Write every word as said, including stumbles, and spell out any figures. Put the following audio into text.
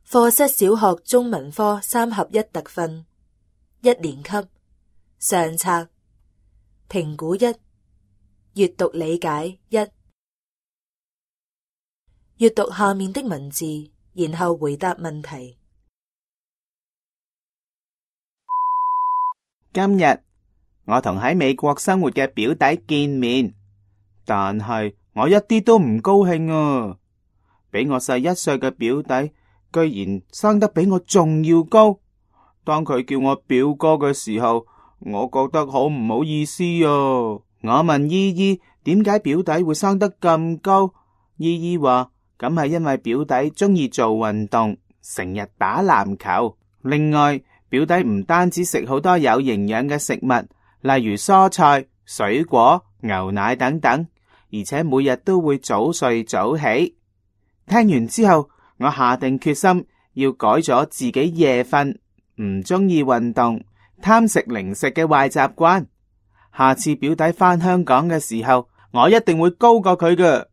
課室小學中文科三合一特訓，一年級上冊，評估一，閱讀理解一。閱讀下面的文字，然後回答問題。今日我同喺美國生活嘅表弟見面，但係我一啲都唔高興啊！比我細一歲嘅表弟居然生得比我仲要高。當佢叫我表哥嘅時候，我覺得好唔好意思啊！我問姨姨點解表弟會生得咁高，姨姨話咁係因為表弟中意做運動，成日打籃球。另外，表弟唔單止食好多有營養嘅食物，例如蔬菜、水果、牛奶等等，而且每日都會早睡早起。聽完之後，我下定決心要改咗自己夜瞓、唔中意運動、貪食零食嘅壞習慣。下次表弟返香港嘅時候，我一定會高過佢㗎。